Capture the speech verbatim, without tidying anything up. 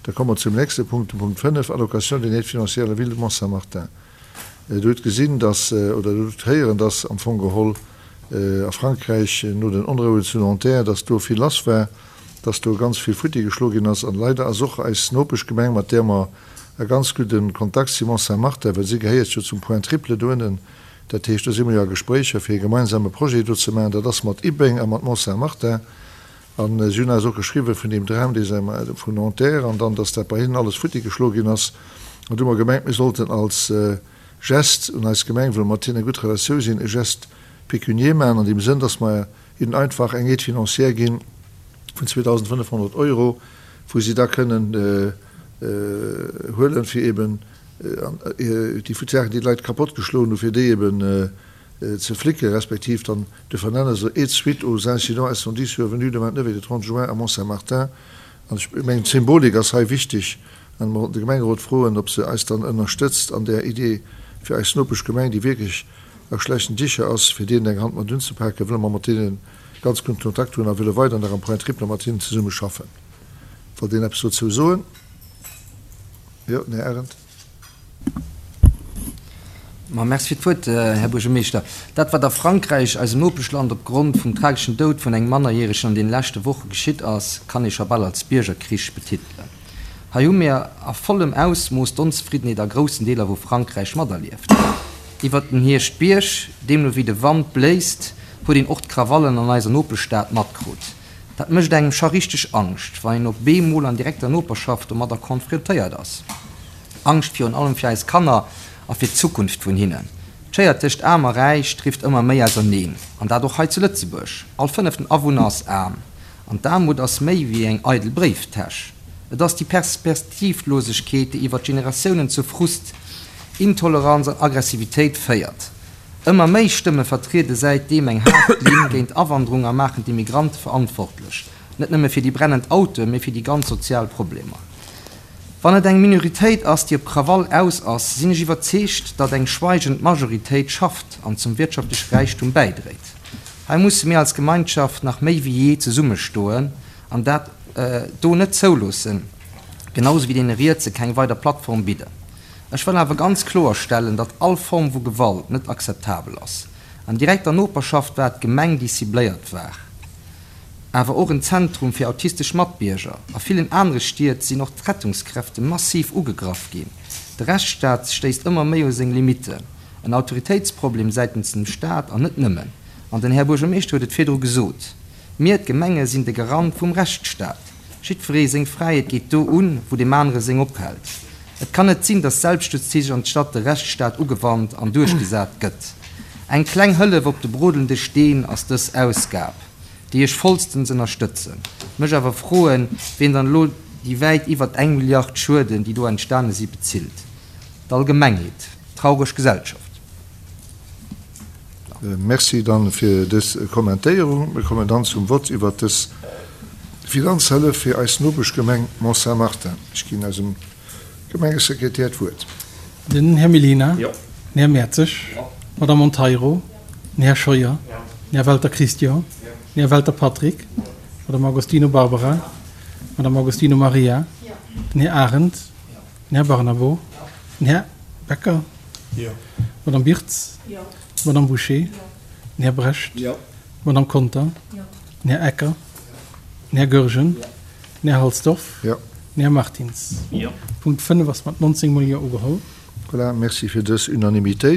Da komme mer zum nächste Punkt, dem Punkt fënnef, Allocation d'une aide financière à la ville de Mont-Saint-Martin. Dir hutt gesinn, dass, oder Dir hutt héieren, dass am Fong geholl a Frankräich no den Onrouen zu Nanterre, dass do vill lass war, dass do ganz vill futti geschloe ginn ass. An leider ass och eis Nopeschgemeng, mat där mer e ganz gudde Kontakt si, Mont-Saint-Martin, well si gehéiert jo zum Point triple do ënnen, dat heescht, do si mer jo a Gespréicher, fir e gemeinsame Projet do ze maachen, dat ass mat Ibbeng a mat Mont-Saint-Martin. An si hunn eis och geschriwwen vun deem Dram, dee se vun Nanterre, an dann, dass dat bei hinnen alles futti geschloe ginn ass. An du hu mer gemengt, mir sollten als Geste un eis Gemeng, wëll mer mat hinnen a gutt Relatioun sinn, e Geste pécunier maachen an deem Sënn, dass mer hinnen einfach eng Aide financière gi vun zweedausendfënnefhonnert Euro, wou si da kënnen huelen, fir eben déi Saachen, déi d'Leit kapott geschloen hunn, fir déi eben ze flicken, respektiv dann de vernenne se et suite aux incidents incendies survenus le vingt-neuf et le trente juin à Mont-Saint-Martin. An ech mengen, d'Symbolik ass hei wichteg, an mer wollten de Gemengerot froen, ob se eis dann ënnerstëtzt an där Idee, fir eis Nopeschgemeng, déi wierklech a schlechten Dicher ass, fir deenen eng Hand mat unzepaken, wëlle mer mat deene ganz gudden Kontakt hunn a wëlle weider nach am Point triple mat hinnen zesumme schaffen. Wollt een eppes dozou soen? Jo, den Här Arendt. Ma merci fir d'Wuert, Här Buergermeeschter. Dat, wat a Frankräich, eisem Nopeschland, opgrond vum trageschen Doud vun engem Mannerjäregen an deene leschte Woche geschitt ass, kann ee scho bal als Biergerkrich betitelen. Hei hu mir a vollem Ausmooss d'Onzefriddenheet a groussen Deeler vu Frankräich materlieft. Iwwert den Hierschtbierg, deemno wéi de Wand bléist, huet een och d'Krawallen an eiser Nopeschstad matkrut. Dat mécht engem scho richteg Angscht, wann een op eemol an direkter Noperschaft domadder konfrontéiert ass. Angscht virun allem fir eis Kanner a fir d'Zukunft vun hinnen. D'Schéier tëscht Aarm a Räich drift ëmmer méi auserneen, an dat och hei zu Lëtzebuerg. All fënneften Awunner ass aarm. An d'Aarmut ass méi wéi eng eidel Bréiftäsch. Et ass déi Perspektivlosegkeet, déi iwwer d'Generatiounen zu Frust, Intoleranz an Aggressivitéit féiert. Ëmmer méi Stëmme vertriede säitdeem eng haart Linn géint Awanderung a maachen d'Immigrante verantwortlech, net nëmme fir déi brennend Autoen, mee fir déi ganz sozial Problemer. Wann et eng Minoritéit ass, déi op Krawall aus ass, sinn ech iwwerzeegt, datt eng schweigend Majoritéit schafft an zum wirtschaftleche Räichtum bäidréit. Hei musse mir als Gemeinschaft nach méi wéi jee zesummestoen an dat do net zouloossen, genau sou wéi deene Rietse keng weider Plattform bidden. Ech wëll awer ganz kloer stellen, datt all Form vu Gewalt net akzeptabel ass. An direkter Noperschaft war d'Gemeng, déi cibléiert war, awer och en Zentrum fir autistesch Matbierger. A villen anere Stied sinn och d'Rettungskräfte massiv ugegraff ginn. De Rechtsstaat stéisst ëmmer méi u seng Limitten. En Autoritéitsproblem säitens dem Staat an net nëmmen. An den Här Buergermeeschter huet et virdru gesot, Mir, d'Gemenge, sinn de Garant vum Rechtsstaat. Jiddweree seng Fräiheet geet do un, wou deem anere seng ophält. Et kann net sinn, datt Selbstjustiz anstatt de Rechtsstaat ugewannt an duerchgesat gëtt. Eng kleng Hëllef op de brodelnde Steen ass dës Ausgab, déi ech vollstens ënnerstëtzen. Mech awer froen, wien dann elo déi wäit iwwert eng Milliard Schueden, déi do entstane si, bezilt. D'Allgemengheet. Traureg Gesellschaft. Merci dann fir dës Kommentéierung. Mir kommen dann zum Vott iwwert dës Finanzhëllef fir eis Nopeschgemeng Mont-Saint-Martin. Ech ginn eisem Gemengesekretär d'Wuert. Den Här Mellina. Den Här Mertzig. D'Madame Monteiro. Den Här Scheuer. Den Här Welter Christian. Den Här Welter Patrick. D'Madame Agostino Barbara. D'Madame Agostino Maria. Den Här Arendt. Den Här Barnabo. Den Här Becker. D'Madame Birtz. D'Madame Bouché. Den Här Brecht. D'Madame Conter. Den Här Ecker. Den Här Goergen. Den Här Halsdorf. Den Här Martins. Punkt fënnef ass mat nonzéng mol Jo ugeholl. Voilà, merci fir dës Unanimitéit.